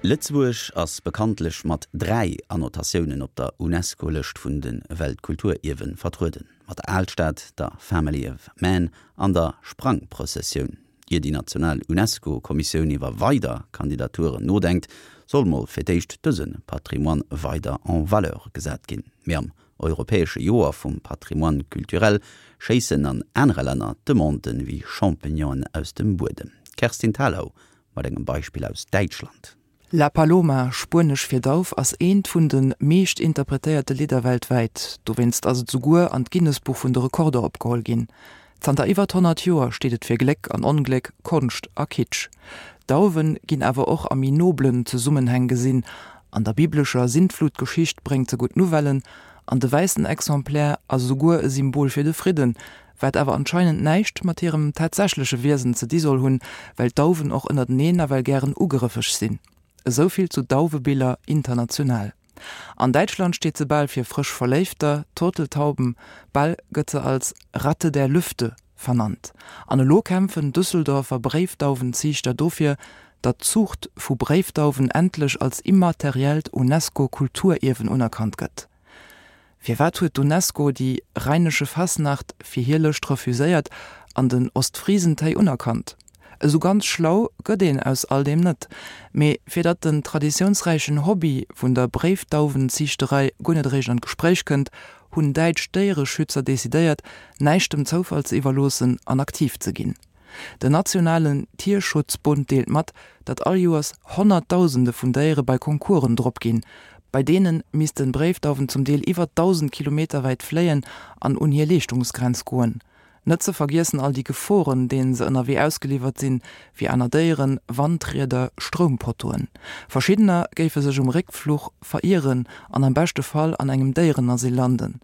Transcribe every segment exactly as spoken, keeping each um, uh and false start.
Lëtzebuerg ass bekanntlech mat dräi Annotatiounen op der UNESCO-Lëscht vun de Weltkulturierwen vertrueden. Mat der Alstad, der Family of Man an der Sprangprozessioun. Ier déi national UNESCO-Kommissioun iwwer weider Kandidaturen nodenkt, soll mol fir d'éischt dëse Patrimoine weider en valeur gesat ginn. Mee am europäesche Joer vum Patrimoine culturel schéissen an anere Länner d'Demanden wéi Champignonen aus dem Buedem. Kerstin Thalau mat engem Beispill aus Däitschland. La Paloma, spuenesch fir Dauf, ass eent vun de meescht interpretéierte Lidder weltwäit. Dowéinst ass et souguer an d'Guinness-Buch vun de Rekorder opgeholl ginn. Zanter iwwer honnert Joer steet et fir Gléck an Ongléck, Konscht a Kitsch. Dauwe ginn awer och a méi noblen Zesummenhäng gesinn, An der biblescher Sintflutgeschicht bréngt se gutt Nouvellen, an de wäissen Exemplaire ass esouguer e Symbol fir de Fridden, wat awer anscheinend näischt mat hirem tatsächleche Wiesen ze di soll hunn, well d'Dauwen och ënnerteneen nawell gären ugrëffeg sinn. Esou vill zu Dauwebiller international. An Däitschland steet se bal fir frësch Verléifter, Turteltauben, bal gëtt se als Ratte der Lüfte vernannt. An elo kämpfen Düsseldorfer Bréifdauwenziichter dofir, datt d'Zuucht vu Bréifdauwen endlech als immateriellt UNESCO-Kulturierwen unerkannt gëtt. Firwat huet d'UNESCO déi Rheinische Fasnacht fir hir Lëscht refuséiert an den Ostfriesentéi unerkannt? Esou ganz schlau gëtt een aus all deem net. Mee fir datt den traditiounsräichen Hobby vun der Bréifdauwenziichterei guer net eréischt an d'Gespréich kënnt, hunn däitsch Déiereschützer decidéiert, näischt dem Zoufall ze iwwerloossen an aktiv ze ginn. Den nationalen Tierschutzbund deelt mat, datt all Joers Honnertdausende vun Déiere bei Concoursen drop ginn. Bei deene missten Bréifdauwen zum Deel iwwer dausend Kilometer wäit fléien an un hir Leeschtungsgrenz goen. Net ze vergiessen all déi Geforen, deenen se ënnerwee ausgeliwwert sinn, wéi aner Déieren, Wandrieder, Stroumpotoen. Verschiddener géife sech um Réckfluch verieren an am beschte Fall an engem Déierenasyl landen.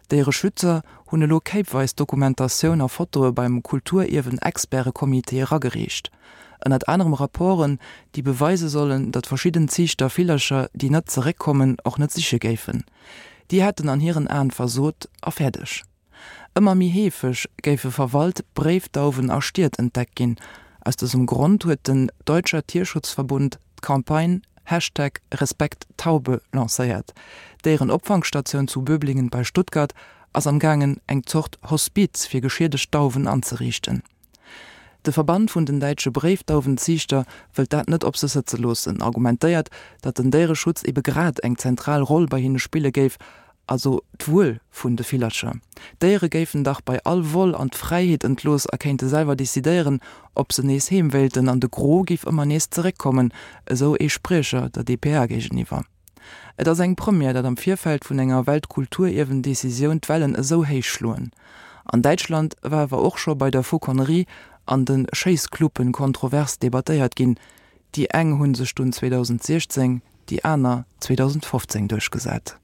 Déiereschützer hunn elo kéipweis Dokumentatioun a Fotoe beim Kulturierwen-Experte-Comité eragereecht. Ënnert anerem Rapporten, déi beweise sollen, datt verschidden Ziichter Villercher, déi net zeréckkommen, och net siche géifen. Déi hätten an hiren Aen versot a fäerdeg. Ëmmer méi heefeg géife verwalt Bréifdauwen a Stied entdeckt ginn. Aus dësem Grond huet den Deutscher Tierschutzverbund d'Campagne Hashtag RespektTaube lancéiert. D'Déierenopfangstatioun zu Böblingen bei Stuttgart ass am gaangen eng Zort Hospiz fir geschiedegt Dauwen anzeriichten. De Verband vun den däitsche Bréifdauwenziichter wëllt dat net op sech sëtze loossen, argumentéiert, datt den Déiereschutz ebe grad eng zentral Roll bei hinne spille géif, also d'Wuel vun de Villercher. D'Déiere géifen dach bei all Vol an d'Fräiheet entlooss a kéinte selwer decidéieren, ob se nees heem wéilten, an de Gros géif ëmmer nees zeréckkommen, esou ee Spriecher der dpa géigeniwwer. Et ass eng Première, datt am Virfeld vun enger Weltkulturierwen-Decisioun d'Wellen esou héich schloen. An Däitschland war awer och scho bei der Fauconnerie an de Schéisscluben kontrovers debattéiert ginn. Déi eng hu sech dunn zweedausendsiechzéng, déi aner zweedausendfofzéng duerchgesat.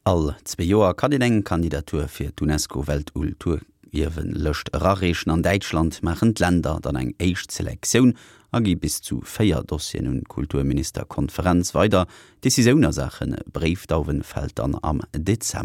All zwee Joer kann een eng Kandidatur fir d'UNESCO-Weltulturierwen-Lëscht erareechen. An Däitschland maachen d'Länder dann eng éischt Selektioun a gi bis zu véier Dossieren un d'Kulturministerkonferenz weider. D'Decisioun a Saache Bréifdauwen fält dann am Dezember.